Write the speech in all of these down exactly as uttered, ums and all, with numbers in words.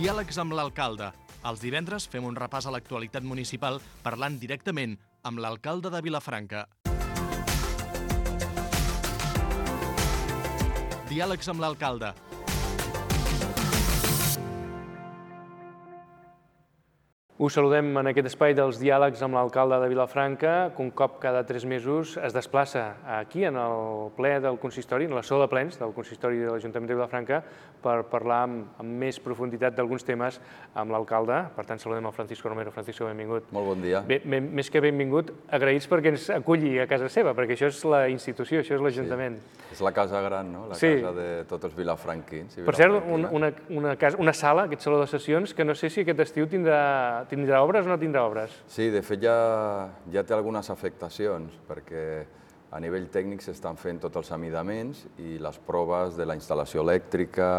Diàlegs amb l'alcalde. Els divendres fem un repàs a l'actualitat municipal parlant directament amb l'alcalde de Vilafranca. Diàlegs amb l'alcalde. Us saludem en aquest espai dels diàlegs amb l'alcalde de Vilafranca, que un cop cada tres mesos es desplaça aquí, en el ple del consistori, en la sala de plens del consistori de l'Ajuntament de Vilafranca, per parlar amb, amb més profunditat d'alguns temes amb l'alcalde. Per tant, saludem el Francisco Romero. Francisco, benvingut. Molt bon dia. Bé, més que benvingut, agraïts perquè ens aculli a casa seva, perquè això és la institució, això és l'Ajuntament. Sí. És la casa gran, no? La sí. casa de tots els vilafranquins. Per cert, una, una, una, casa, una sala, aquest saló de sessions, que no sé si aquest estiu tindrà, tindrà obres o no tindrà obres. Sí, de fet ja, ja té algunes afectacions, perquè a nivell tècnic s'estan fent tots els amidaments i les proves de la instal·lació elèctrica,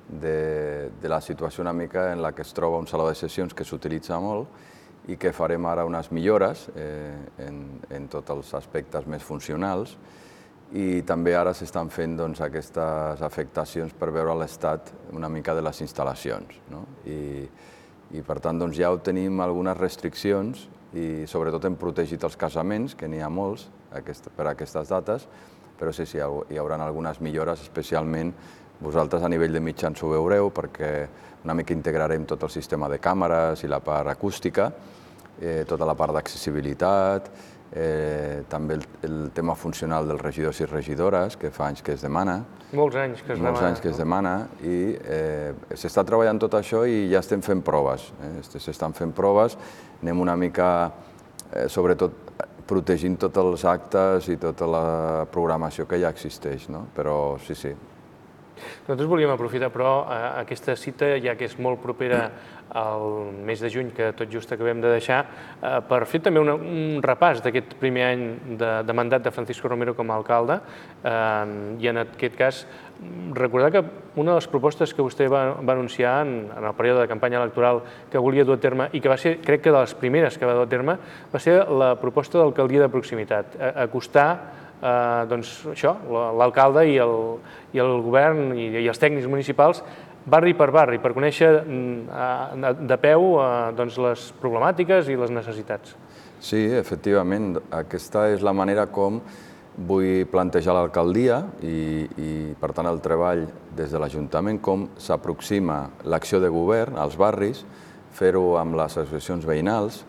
de, de la situació una mica en la que es troba un saló de sessions que s'utilitza molt i que farem ara unes millores eh, en, en tots els aspectes més funcionals. I també ara s'estan fent doncs, aquestes afectacions per veure l'estat una mica de les instal·lacions, no? I, i per tant doncs, ja tenim algunes restriccions i sobretot hem protegit els casaments, que n'hi ha molts aquest, per a aquestes dates, però sí, sí, hi haurà algunes millores, especialment vosaltres a nivell de mitjans ho veureu, perquè una mica integrarem tot el sistema de càmeres i la part acústica, eh, tota la part d'accessibilitat, Eh, també el, el tema funcional dels regidors i regidores, que fa anys que es demana. Molts anys que es demana. Molts anys que es demana i eh, s'està treballant tot això i ja estem fent proves. Eh? S'estan fent proves, anem una mica, eh, sobretot, protegint tots els actes i tota la programació que ja existeix, no? Però sí, sí. Nosaltres volíem aprofitar, però, aquesta cita, ja que és molt propera al mes de juny, que tot just acabem de deixar, per fer també una, un repàs d'aquest primer any de, de mandat de Francisco Romero com a alcalde, i en aquest cas recordar que una de les propostes que vostè va, va anunciar en, en el període de campanya electoral que volia dur a terme, i que va ser, crec que de les primeres que va dur a terme, va ser la proposta d'alcaldia de proximitat, acostar Eh, doncs això, l'alcalde i, el, i el govern i, i els tècnics municipals barri per barri, per conèixer eh, de peu eh, doncs les problemàtiques i les necessitats. Sí, efectivament, aquesta és la manera com vull plantejar l'alcaldia i, i per tant el treball des de l'Ajuntament, com s'aproxima l'acció de govern als barris, fer-ho amb les associacions veïnals.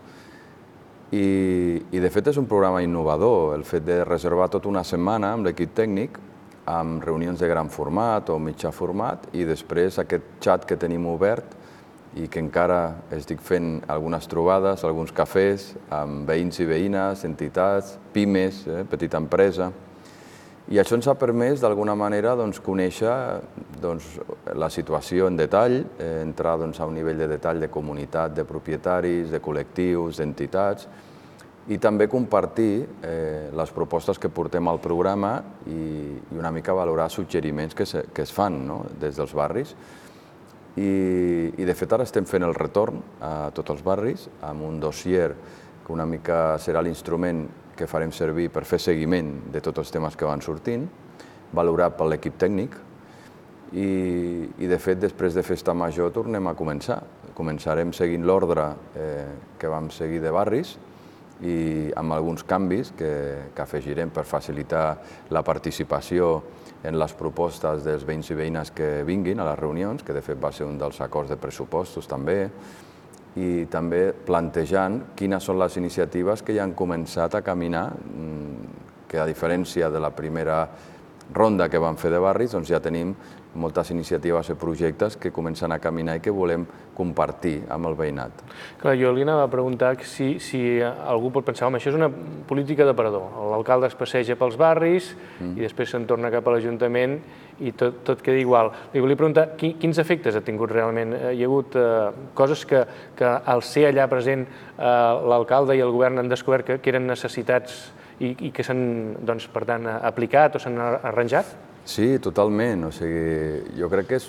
I, i de fet és un programa innovador, el fet de reservar tota una setmana amb l'equip tècnic, amb reunions de gran format o mitjà format, i després aquest xat que tenim obert i que encara estic fent algunes trobades, alguns cafès, amb veïns i veïnes, entitats, pimes, eh, petita empresa. I això ens ha permès, d'alguna manera, doncs, conèixer doncs, la situació en detall, eh, entrar doncs, a un nivell de detall de comunitat, de propietaris, de col·lectius, d'entitats, i també compartir eh, les propostes que portem al programa i, i una mica valorar suggeriments que, se, que es fan, no?, des dels barris. I, I, de fet, ara estem fent el retorn a tots els barris amb un dossier que una mica serà l'instrument que farem servir per fer seguiment de tots els temes que van sortint, valorat per l'equip tècnic, i, i de fet, després de Festa Major tornem a començar. Començarem seguint l'ordre eh, que vam seguir de barris i amb alguns canvis que, que afegirem per facilitar la participació en les propostes dels veïns i veïnes que vinguin a les reunions, que de fet va ser un dels acords de pressupostos també, i també plantejant quines són les iniciatives que ja han començat a caminar, que a diferència de la primera ronda que vam fer de barris, doncs ja tenim moltes iniciatives i projectes que comencen a caminar i que volem compartir amb el veïnat. Clar, jo li anava a preguntar si, si algú pot pensar, home, això és una política d'aparador. L'alcalde es passeja pels barris mm. i després se'n torna cap a l'Ajuntament i tot, tot queda igual. Li volia preguntar quins efectes ha tingut realment. Hi ha hagut eh, coses que, que al ser allà present eh, l'alcalde i el govern han descobert que, que eren necessitats i, i que s'han, doncs, per tant, aplicat o s'han arranjat? Sí, totalment. O sigui, jo crec que és,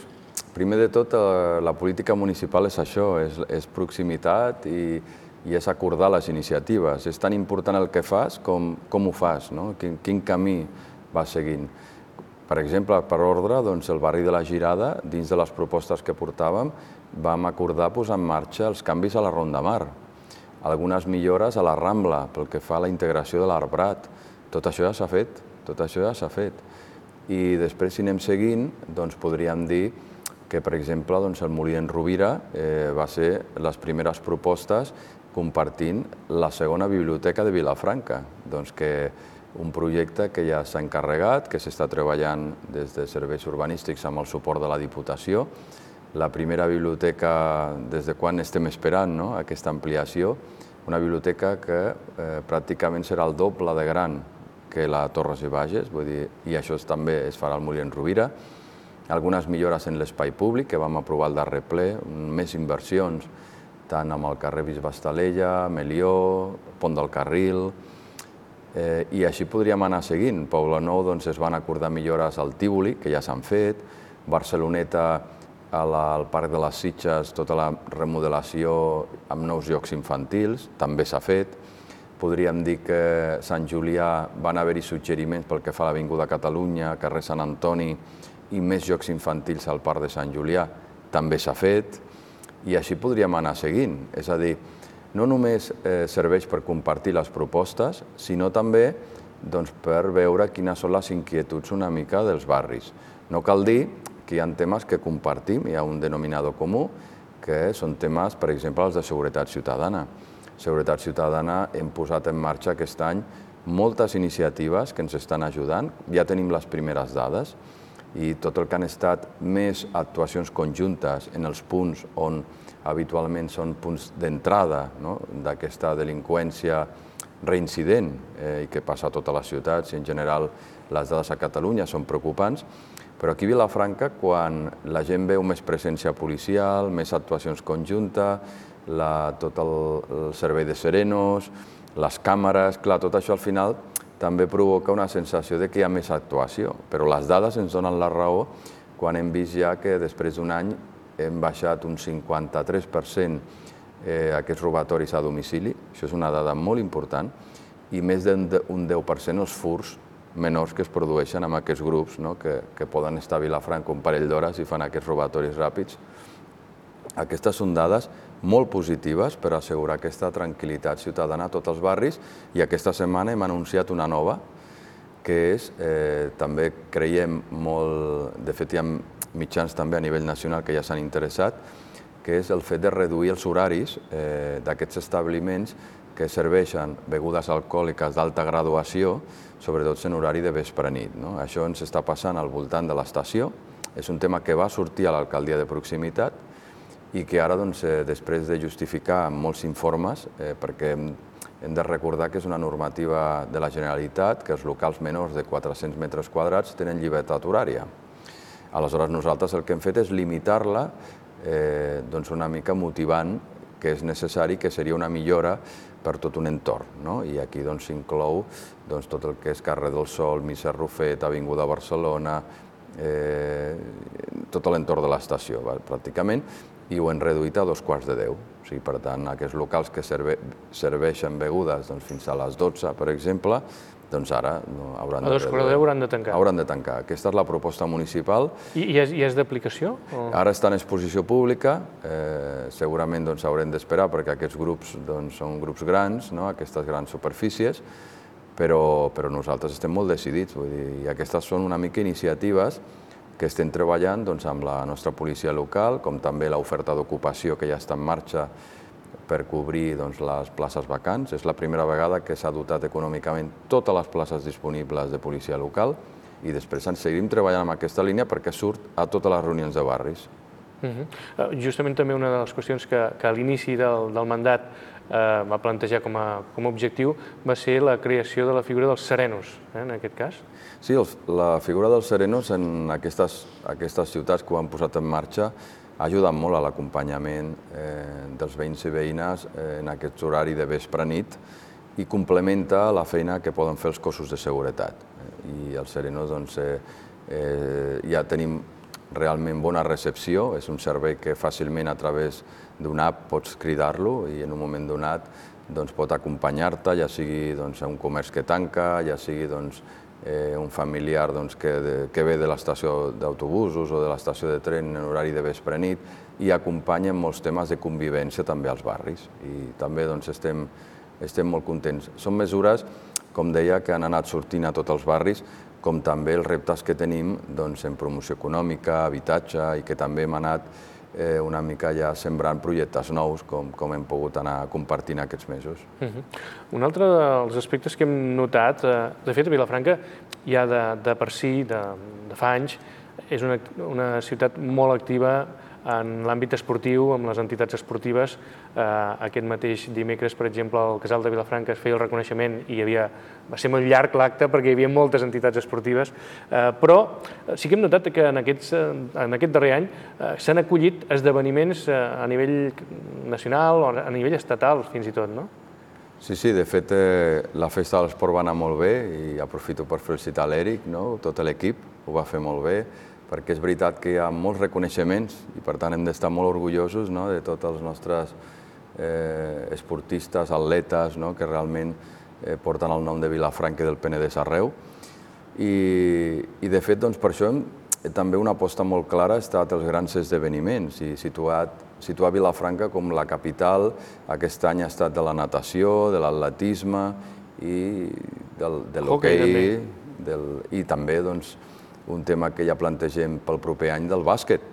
primer de tot, la política municipal és això, és, és proximitat i, i és acordar les iniciatives. És tan important el que fas com, com ho fas, no? Quin, quin camí vas seguint. Per exemple, per ordre, el barri de la Girada, dins de les propostes que portàvem, vam acordar posar en marxa els canvis a la Ronda Mar, algunes millores a la Rambla pel que fa a la integració de l'Arbrat. Tot això ja s'ha fet, tot això ja s'ha fet. I després, si anem seguint, podríem dir que, per exemple, el Molí d'en Rovira va ser les primeres propostes compartint la segona biblioteca de Vilafranca, que un projecte que ja s'ha encarregat, que s'està treballant des de serveis urbanístics amb el suport de la Diputació. La primera biblioteca, des de quan estem esperant aquesta ampliació, una biblioteca que pràcticament serà el doble de gran que la Torres i Bages, i això també es farà al Molí d'en Rovira. Algunes millores en l'espai públic, que vam aprovar el darrer ple, més inversions, tant amb el carrer Bisbe Estalella, Melió, Pont del Carril, i així podríem anar seguint. Poblenou es van acordar millores al Tívoli, que ja s'han fet, Barceloneta, al Parc de les Sitges, tota la remodelació amb nous jocs infantils, també s'ha fet. Podríem dir que a Sant Julià van haver-hi suggeriments pel que fa a l'Avinguda Catalunya, carrer Sant Antoni, i més jocs infantils al Parc de Sant Julià, també s'ha fet, i així podríem anar seguint. És a dir, no només serveix per compartir les propostes, sinó també per veure quines són les inquietuds una mica dels barris. No cal dir que hi ha temes que compartim, hi ha un denominador comú, que són temes, per exemple, els de seguretat ciutadana. Seguretat ciutadana hem posat en marxa aquest any moltes iniciatives que ens estan ajudant, ja tenim les primeres dades, i tot el que han estat més actuacions conjuntes en els punts on habitualment són punts d'entrada d'aquesta delinqüència reincident i que passa a totes les ciutats i en general les dades a Catalunya són preocupants, però aquí a Vilafranca, quan la gent veu més presència policial, més actuacions conjuntes, tot el servei de serenos, les càmeres, clar, tot això al final també provoca una sensació de que hi ha més actuació, però les dades ens donen la raó quan hem vist ja que després d'un any hem baixat un cinquanta-tres per cent aquests robatoris a domicili, això és una dada molt important, i més d'un deu per cent els furts menors que es produeixen amb aquests grups que poden estar a Vilafranca un parell d'hores i fan aquests robatoris ràpids. Aquestes són dades molt positives per assegurar aquesta tranquil·litat ciutadana a tots els barris, i aquesta setmana hem anunciat una nova, que és, també creiem molt, de fet hi ha mitjans també a nivell nacional que ja s'han interessat, que és el fet de reduir els horaris d'aquests establiments que serveixen begudes alcohòliques d'alta graduació, sobretot en horari de vespre-nit. Això ens està passant al voltant de l'estació, és un tema que va sortir a l'alcaldia de proximitat i que ara, després de justificar amb molts informes, perquè hem de recordar que és una normativa de la Generalitat, que els locals menors de quatre-cents metres quadrats tenen llibertat horària. Aleshores, nosaltres el que hem fet és limitar-la una mica motivant que és necessari, que seria una millora per tot un entorn. I aquí s'inclou tot el que és carrer del Sol, Misser Rufet, Avinguda Barcelona, tot l'entorn de l'estació, pràcticament, i ho hem reduït a dos quarts de deu. Per tant, aquests locals que serveixen begudes fins a les dotze, per exemple, doncs ara hauran de... A dos quarts de deu hauran de tancar. Hauran de tancar. Aquesta és la proposta municipal. I és d'aplicació? Ara està en exposició pública. Segurament haurem d'esperar perquè aquests grups són grups grans, aquestes grans superfícies, però nosaltres estem molt decidits. I aquestes són una mica iniciatives que estem treballant amb la nostra policia local, com també l'oferta d'ocupació que ja està en marxa per cobrir les places vacants. És la primera vegada que s'ha dotat econòmicament totes les places disponibles de policia local i després ens seguim treballant en aquesta línia perquè surt a totes les reunions de barris. Justament també una de les qüestions que a l'inici del mandat va plantejar com a objectiu va ser la creació de la figura dels serenos, en aquest cas. Sí, la figura dels serenos en aquestes ciutats que ho han posat en marxa ha ajudat molt a l'acompanyament dels veïns i veïnes en aquest horari de vespre-nit i complementa la feina que poden fer els cossos de seguretat. I els serenos ja tenim realment bona recepció, és un servei que fàcilment a través d'una app pots cridar-lo i en un moment donat pot acompanyar-te, ja sigui a un comerç que tanca, ja sigui un familiar que ve de l'estació d'autobusos o de l'estació de tren en horari de vespre-nit, i acompanya molts temes de convivència també als barris. I també estem molt contents. Són mesures, com deia, que han anat sortint a tots els barris, com també els reptes que tenim en promoció econòmica, habitatge, i que també hem anat una mica ja sembrant projectes nous, com hem pogut anar compartint aquests mesos. Un altre dels aspectes que hem notat, de fet, a Vilafranca ja de per si, de fa anys, és una ciutat molt activa en l'àmbit esportiu, amb les entitats esportives. Aquest mateix dimecres, per exemple, al Casal de Vilafranca es feia el reconeixement i va ser molt llarg l'acte perquè hi havia moltes entitats esportives, però sí que hem notat que en aquest darrer any s'han acollit esdeveniments a nivell nacional o a nivell estatal, fins i tot, no? Sí, sí, de fet, la festa de l'esport va anar molt bé i aprofito per felicitar l'Eric, tot l'equip ho va fer molt bé, perquè és veritat que hi ha molts reconeixements i per tant hem d'estar molt orgullosos de tots els nostres esportistes, atletes, que realment porten el nom de Vilafranca i del Penedès arreu. I de fet, per això també una aposta molt clara ha estat els grans esdeveniments i situar Vilafranca com la capital. Aquest any ha estat de la natació, de l'atletisme i de l'hoquei i també un tema que ja plantegem pel proper any del bàsquet.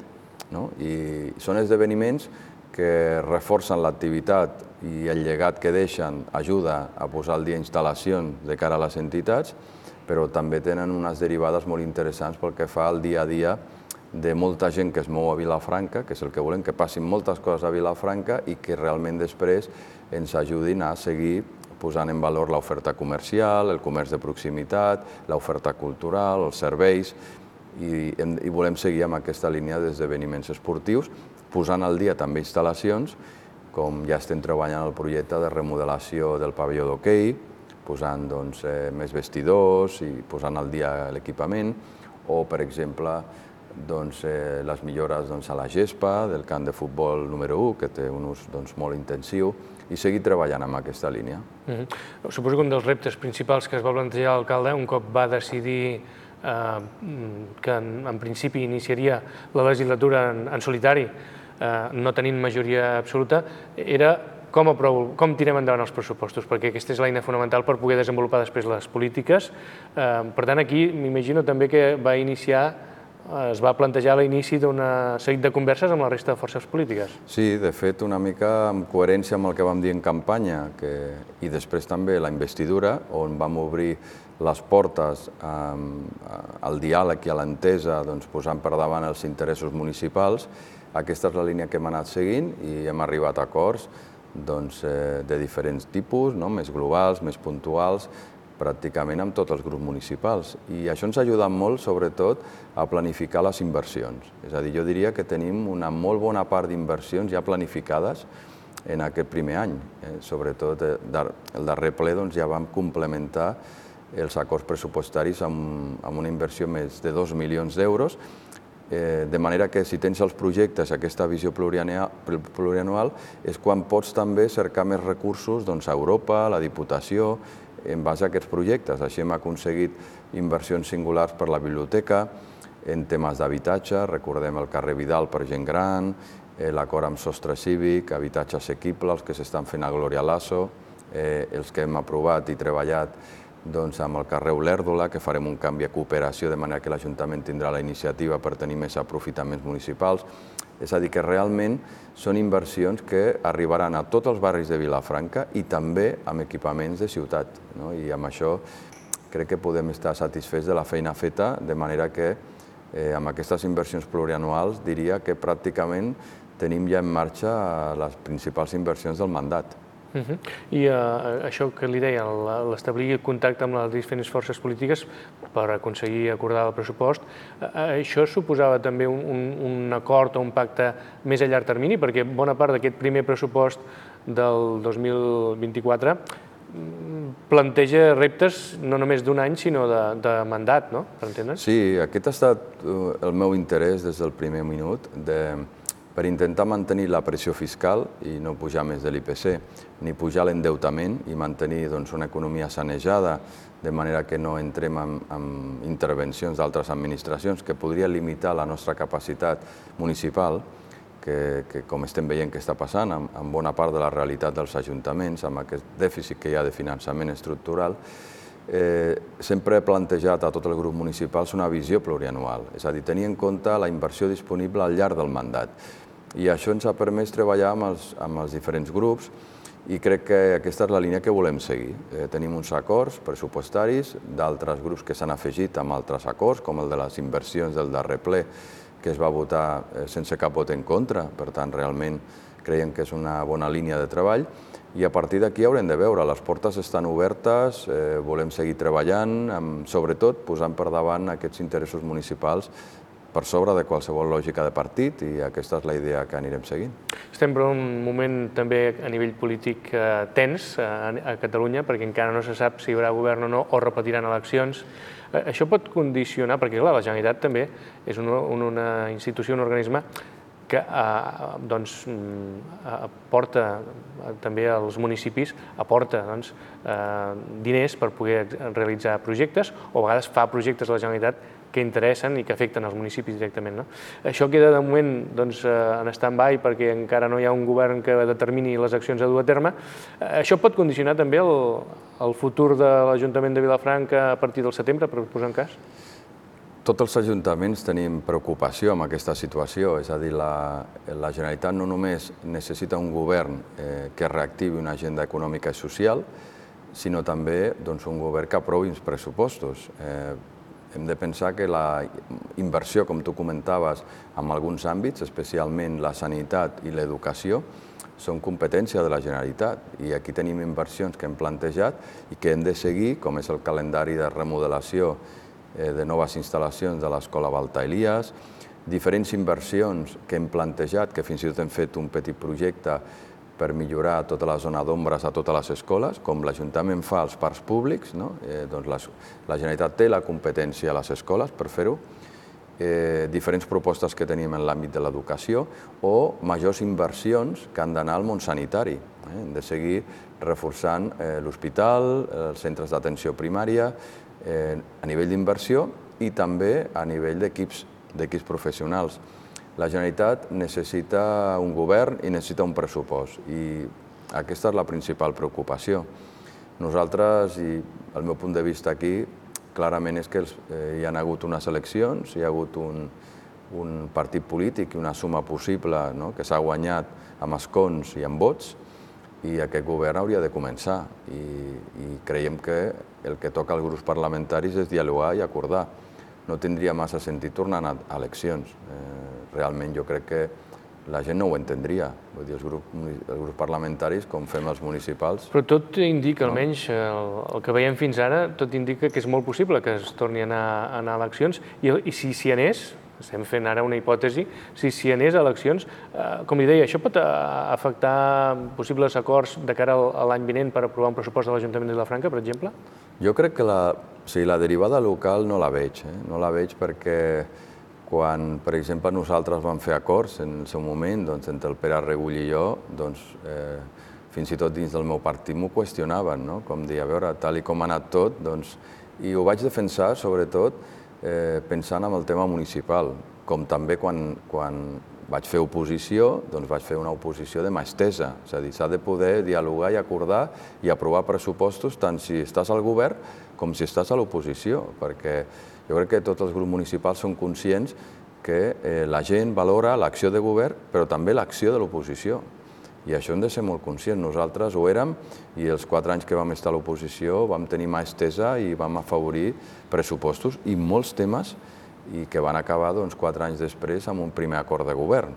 I són esdeveniments que reforcen l'activitat i el llegat que deixen ajuda a posar al dia instal·lacions de cara a les entitats, però també tenen unes derivades molt interessants pel que fa al dia a dia de molta gent que es mou a Vilafranca, que és el que volem, que passin moltes coses a Vilafranca i que realment després ens ajudin a seguir posant en valor l'oferta comercial, el comerç de proximitat, l'oferta cultural, els serveis, i volem seguir amb aquesta línia d'esdeveniments esportius, posant al dia també instal·lacions, com ja estem treballant el projecte de remodelació del pavelló d'hoquei, posant més vestidors i posant al dia l'equipament, o, per exemple, les millores a la gespa del camp de futbol número u, que té un ús molt intensiu, i seguir treballant amb aquesta línia. Suposo que un dels reptes principals que es va plantejar l'alcalde, un cop va decidir que en principi iniciaria la legislatura en solitari, no tenint majoria absoluta, era com tirem endavant els pressupostos, perquè aquesta és l'eina fonamental per poder desenvolupar després les polítiques. Per tant, aquí m'imagino també que va iniciar es va plantejar l'inici d'un seguit de converses amb la resta de forces polítiques. Sí, de fet, una mica en coherència amb el que vam dir en campanya i després també la investidura, on vam obrir les portes al diàleg i a l'entesa posant per davant els interessos municipals. Aquesta és la línia que hem anat seguint i hem arribat a acords de diferents tipus, més globals, més puntuals, pràcticament amb tots els grups municipals. I això ens ha ajudat molt, sobretot, a planificar les inversions. És a dir, jo diria que tenim una molt bona part d'inversions ja planificades en aquest primer any. Sobretot, el darrer ple ja vam complementar els acords pressupostaris amb una inversió més de dos milions d'euros, de manera que si tens els projectes, aquesta visió plurianual, és quan pots també cercar més recursos a Europa, a la Diputació, en base a aquests projectes. Així hem aconseguit inversions singulars per la biblioteca, en temes d'habitatge, recordem el carrer Vidal per gent gran, l'acord amb sostre cívic, habitatge assequible, els que s'estan fent a Glòria Lasso, els que hem aprovat i treballat amb el carrer Olèrdola, que farem un canvi a cooperació, de manera que l'Ajuntament tindrà la iniciativa per tenir més aprofitaments municipals. És a dir, que realment són inversions que arribaran a tots els barris de Vilafranca i també amb equipaments de ciutat. I amb això crec que podem estar satisfets de la feina feta, de manera que amb aquestes inversions plurianuals diria que pràcticament tenim ja en marxa les principals inversions del mandat. I això que li deia, l'establir contacte amb les diferents forces polítiques per aconseguir acordar el pressupost, això suposava també un acord o un pacte més a llarg termini, perquè bona part d'aquest primer pressupost del dos mil vint-i-quatre planteja reptes no només d'un any, sinó de mandat, no? Per entendre's? Sí, aquest ha estat el meu interès des del primer minut, de per intentar mantenir la pressió fiscal i no pujar més de l'I P C, ni pujar l'endeutament i mantenir una economia sanejada, de manera que no entrem en intervencions d'altres administracions que podrien limitar la nostra capacitat municipal, que com estem veient que està passant en bona part de la realitat dels ajuntaments, amb aquest dèficit que hi ha de finançament estructural. Sempre he plantejat a tot el grup municipal una visió plurianual, és a dir, tenir en compte la inversió disponible al llarg del mandat. I això ens ha permès treballar amb els diferents grups i crec que aquesta és la línia que volem seguir. Tenim uns acords pressupostaris d'altres grups que s'han afegit amb altres acords, com el de les inversions del darrer ple, que es va votar sense cap vot en contra. Per tant, realment creiem que és una bona línia de treball. I a partir d'aquí haurem de veure, les portes estan obertes, volem seguir treballant, sobretot posant per davant aquests interessos municipals per sobre de qualsevol lògica de partit, i aquesta és la idea que anirem seguint. Estem per un moment també a nivell polític tens a Catalunya, perquè encara no se sap si hi haurà govern o no, o repetiran eleccions. Això pot condicionar, perquè clar, la Generalitat també és una institució, un organisme que aporta també als municipis, aporta diners per poder realitzar projectes, o a vegades fa projectes a la Generalitat que interessen i que afecten els municipis directament. Això queda de moment en stand-by perquè encara no hi ha un govern que determini les accions a dur a terme. Això pot condicionar també el futur de l'Ajuntament de Vilafranca a partir del setembre, per posar un cas? Tots els ajuntaments tenim preocupació amb aquesta situació, és a dir, la Generalitat no només necessita un govern que reactivi una agenda econòmica i social, sinó també un govern que aprovi uns pressupostos. Hem de pensar que la inversió, com tu comentaves, en alguns àmbits, especialment la sanitat i l'educació, són competència de la Generalitat, i aquí tenim inversions que hem plantejat i que hem de seguir, com és el calendari de remodelació de noves instal·lacions de l'Escola Balta Elias, diferents inversions que hem plantejat, que fins i tot hem fet un petit projecte per millorar tota la zona d'ombres a totes les escoles, com l'Ajuntament fa als parcs públics, la Generalitat té la competència a les escoles per fer-ho, diferents propostes que tenim en l'àmbit de l'educació o majors inversions que han d'anar al món sanitari. Hem de seguir reforçant l'hospital, els centres d'atenció primària, a nivell d'inversió i també a nivell d'equips professionals. La Generalitat necessita un govern i necessita un pressupost, i aquesta és la principal preocupació. Nosaltres, i el meu punt de vista aquí, clarament és que hi ha hagut unes eleccions, hi ha hagut un partit polític i una suma possible que s'ha guanyat amb escons i amb vots, i aquest govern hauria de començar. I creiem que el que toca als grups parlamentaris és dialogar i acordar. No tindria massa sentit tornar a eleccions. Realment jo crec que la gent no ho entendria. Vull dir, els grups parlamentaris, com fem els municipals... Però tot indica, almenys el que veiem fins ara, tot indica que és molt possible que es torni a anar a eleccions, i si s'hi anés, estem fent ara una hipòtesi, si s'hi anés a eleccions, com li deia, això pot afectar possibles acords de cara a l'any vinent per aprovar un pressupost de l'Ajuntament de Vilafranca, per exemple? Jo crec que la derivada local no la veig. No la veig perquè quan, per exemple, nosaltres vam fer acords en el seu moment, entre el Pere Regull i jo, fins i tot dins del meu partit m'ho qüestionaven, com dir, a veure, tal i com ha anat tot, i ho vaig defensar, sobretot, pensant en el tema municipal, com també quan vaig fer oposició, doncs vaig fer una oposició de mà estesa, és a dir, s'ha de poder dialogar i acordar i aprovar pressupostos tant si estàs al govern com si estàs a l'oposició, perquè jo crec que tots els grups municipals són conscients que la gent valora l'acció de govern, però també l'acció de l'oposició. I això hem de ser molt conscients. Nosaltres ho érem, i els quatre anys que vam estar a l'oposició vam tenir mà estesa i vam afavorir pressupostos i molts temes, i que van acabar quatre anys després amb un primer acord de govern.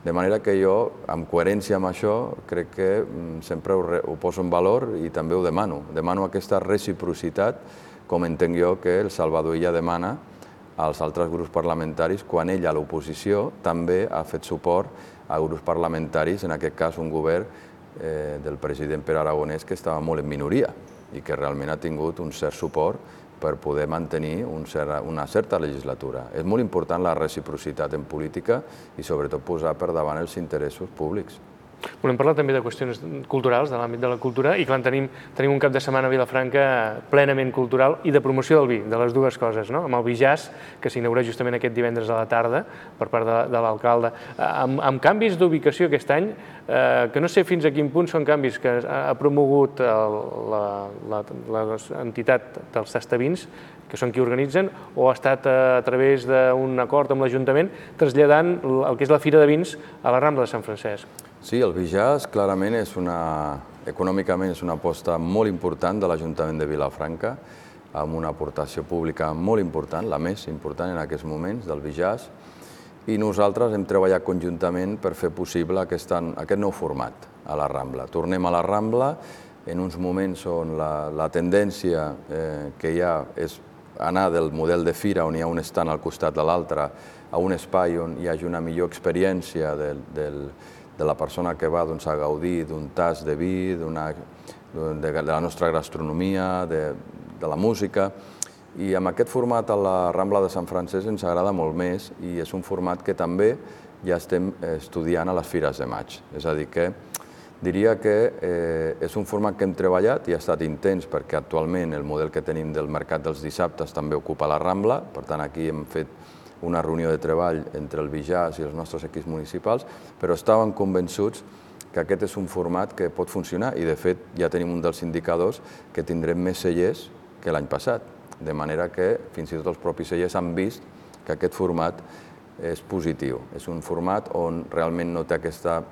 De manera que jo, amb coherència amb això, crec que sempre ho poso en valor i també ho demano. Demano aquesta reciprocitat, com entenc jo que el Salvador Illa demana als altres grups parlamentaris quan ell a l'oposició també ha fet suport a grups parlamentaris, en aquest cas un govern del president Pere Aragonès que estava molt en minoria i que realment ha tingut un cert suport per poder mantenir una certa legislatura. És molt important la reciprocitat en política i sobretot posar per davant els interessos públics. Volem parlar també de qüestions culturals, de l'àmbit de la cultura, i clar, tenim, tenim un cap de setmana a Vilafranca plenament cultural i de promoció del vi, de les dues coses, no? Amb el ViJazz, que s'inaugura justament aquest divendres a la tarda per part de, de l'alcalde, amb, amb canvis d'ubicació aquest any, eh, que no sé fins a quin punt són canvis que ha promogut l'entitat dels tastavins, que són qui organitzen, o ha estat a través d'un acord amb l'Ajuntament traslladant el que és la Fira de Vins a la Rambla de Sant Francesc. Sí, el ViJazz clarament és una, econòmicament és una aposta molt important de l'Ajuntament de Vilafranca, amb una aportació pública molt important, la més important en aquests moments del ViJazz, i nosaltres hem treballat conjuntament per fer possible aquest, aquest nou format a la Rambla. Tornem a la Rambla en uns moments on la, la tendència eh, que hi ha és anar del model de fira, on hi ha un stand al costat de l'altre, a un espai on hi hagi una millor experiència del, del, de la persona que va doncs, a gaudir d'un tas de vi, de, de la nostra gastronomia, de, de la música. I amb aquest format a la Rambla de Sant Francesc ens agrada molt més i és un format que també ja estem estudiant a les Fires de Maig. És a dir, que diria que eh, és un format que hem treballat i ha estat intens perquè actualment el model que tenim del mercat dels dissabtes també ocupa la Rambla, per tant aquí hem fet una reunió de treball entre el ViJazz i els nostres equips municipals, però estàvem convençuts que aquest és un format que pot funcionar i de fet ja tenim un dels indicadors que tindrem més cellers que l'any passat, de manera que fins i tot els propis cellers han vist que aquest format és positiu. És un format on realment no té aquesta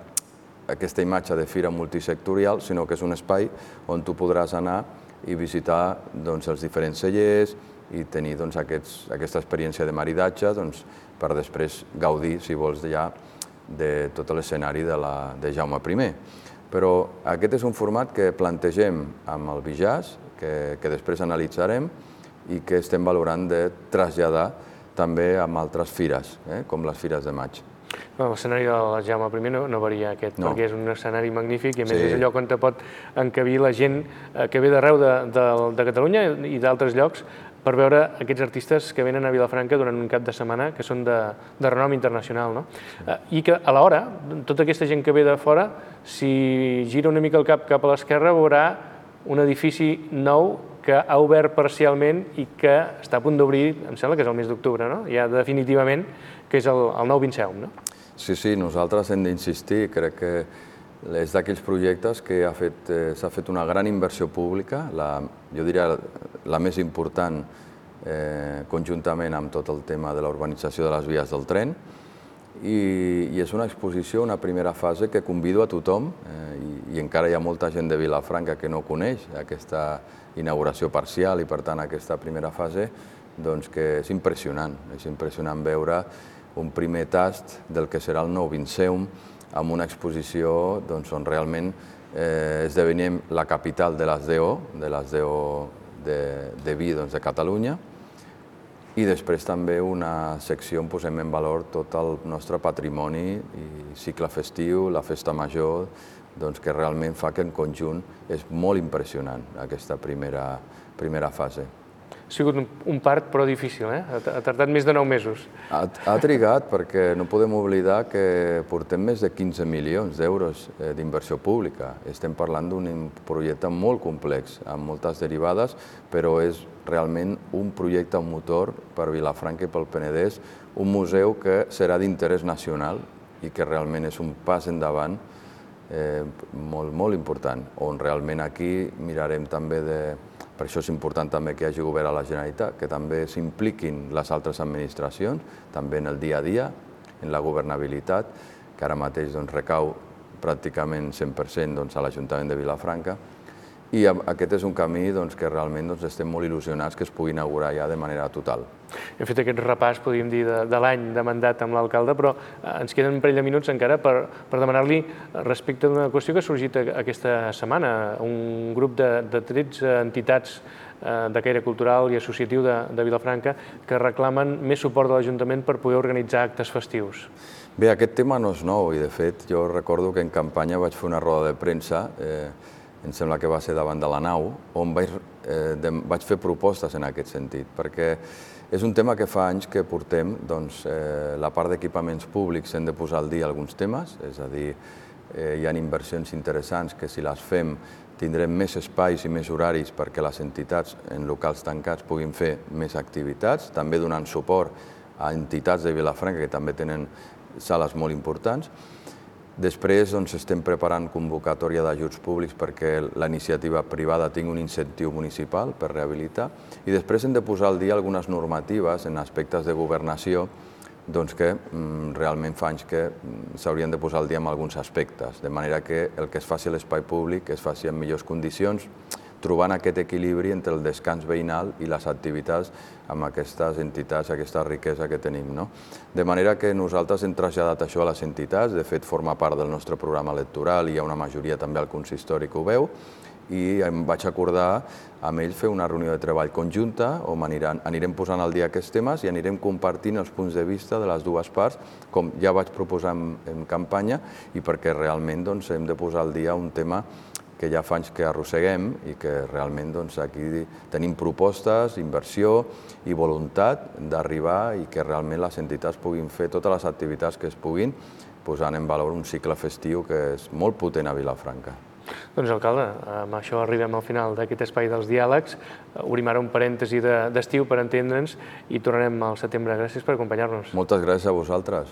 aquesta imatge de fira multisectorial, sinó que és un espai on tu podràs anar i visitar doncs, els diferents cellers i tenir doncs, aquests, aquesta experiència de maridatge doncs, per després gaudir, si vols, ja de tot l'escenari de, la, de Jaume primer. Però aquest és un format que plantegem amb el ViJazz, que, que després analitzarem i que estem valorant de traslladar també amb altres fires, eh, com les Fires de Maig. L'escenari del Jaume primer no, no varia aquest, no. perquè és un escenari magnífic i a més sí. és allò on te pot encabir la gent que ve d'arreu de, de, de Catalunya i d'altres llocs per veure aquests artistes que venen a Vilafranca durant un cap de setmana que són de, de renom internacional. No? I que alhora, tota aquesta gent que ve de fora, si gira una mica el cap cap a l'esquerra, veurà un edifici nou que ha obert parcialment i que està a punt d'obrir, em sembla que és el mes d'octubre, no? Ja definitivament, que és el, el nou Vinceum, no? Sí, sí, nosaltres hem d'insistir, crec que és d'aquells projectes que s'ha fet, eh, fet una gran inversió pública, la, jo diria la més important eh, conjuntament amb tot el tema de la urbanització de les vies del tren, i, i és una exposició, una primera fase que convido a tothom, eh, i, i encara hi ha molta gent de Vilafranca que no coneix aquesta inauguració parcial i per tant aquesta primera fase, doncs que és impressionant, és impressionant veure un primer tast del que serà el nou Vinceum amb una exposició doncs, on realment eh, esdevenim la capital de les D O, de les D O de, de vi doncs, de Catalunya, i després també una secció on posem en valor tot el nostre patrimoni i cicle festiu, la festa major, doncs, que realment fa que en conjunt és molt impressionant aquesta primera, primera fase. Ha sigut un part, però difícil, eh? Ha tardat més de nou mesos. Ha, ha trigat perquè no podem oblidar que portem més de quinze milions d'euros d'inversió pública. Estem parlant d'un projecte molt complex, amb moltes derivades, però és realment un projecte motor per Vilafranca i pel Penedès, un museu que serà d'interès nacional i que realment és un pas endavant eh, molt, molt important, on realment aquí mirarem també de... Per això és important també que hi hagi govern a la Generalitat, que també s'impliquin les altres administracions, també en el dia a dia, en la governabilitat, que ara mateix doncs, recau pràcticament cent per cent doncs, a l'Ajuntament de Vilafranca. I aquest és un camí doncs, que realment doncs, estem molt il·lusionats que es pugui inaugurar ja de manera total. Hem fet aquest repàs, podríem dir, de, de l'any de mandat amb l'alcalde, però ens queden un parell de minuts encara per, per demanar-li respecte d'una qüestió que ha sorgit aquesta setmana. Un grup de, de tretze entitats eh, de caire cultural i associatiu de, de Vilafranca que reclamen més suport de l'Ajuntament per poder organitzar actes festius. Bé, aquest tema no és nou i, de fet, jo recordo que en campanya vaig fer una roda de premsa, eh, em sembla que va ser davant de la nau, on vaig vaig fer propostes en aquest sentit, perquè és un tema que fa anys que portem, doncs, la part d'equipaments públics hem de posar al dia alguns temes, és a dir, hi ha inversions interessants que si les fem tindrem més espais i més horaris perquè les entitats en locals tancats puguin fer més activitats, també donant suport a entitats de Vilafranca que també tenen sales molt importants. Després estem preparant convocatòria d'ajuts públics perquè la iniciativa privada tingui un incentiu municipal per rehabilitar i després hem de posar al dia algunes normatives en aspectes de governació que realment fa anys que s'haurien de posar al dia en alguns aspectes, de manera que el que es faci a l'espai públic es faci en millors condicions, trobant aquest equilibri entre el descans veïnal i les activitats amb aquestes entitats, aquesta riquesa que tenim. De manera que nosaltres hem traslladat això a les entitats, de fet forma part del nostre programa electoral, hi ha una majoria també al consistori que ho veu, i em vaig acordar amb ells fer una reunió de treball conjunta on anirem posant al dia aquests temes i anirem compartint els punts de vista de les dues parts, com ja vaig proposar en campanya, i perquè realment hem de posar al dia un tema que ja fa anys que arrosseguem i que realment aquí tenim propostes, inversió i voluntat d'arribar i que realment les entitats puguin fer totes les activitats que es puguin, posant en valor un cicle festiu que és molt potent a Vilafranca. Doncs, alcalde, amb això arribem al final d'aquest espai dels diàlegs. Obrim ara un parèntesi d'estiu per entendre'ns i tornarem al setembre. Gràcies per acompanyar-nos. Moltes gràcies a vosaltres.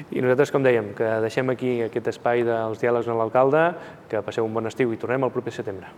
I nosaltres, com dèiem, que deixem aquí aquest espai dels diàlegs amb l'alcalde, que passeu un bon estiu i tornem el proper setembre.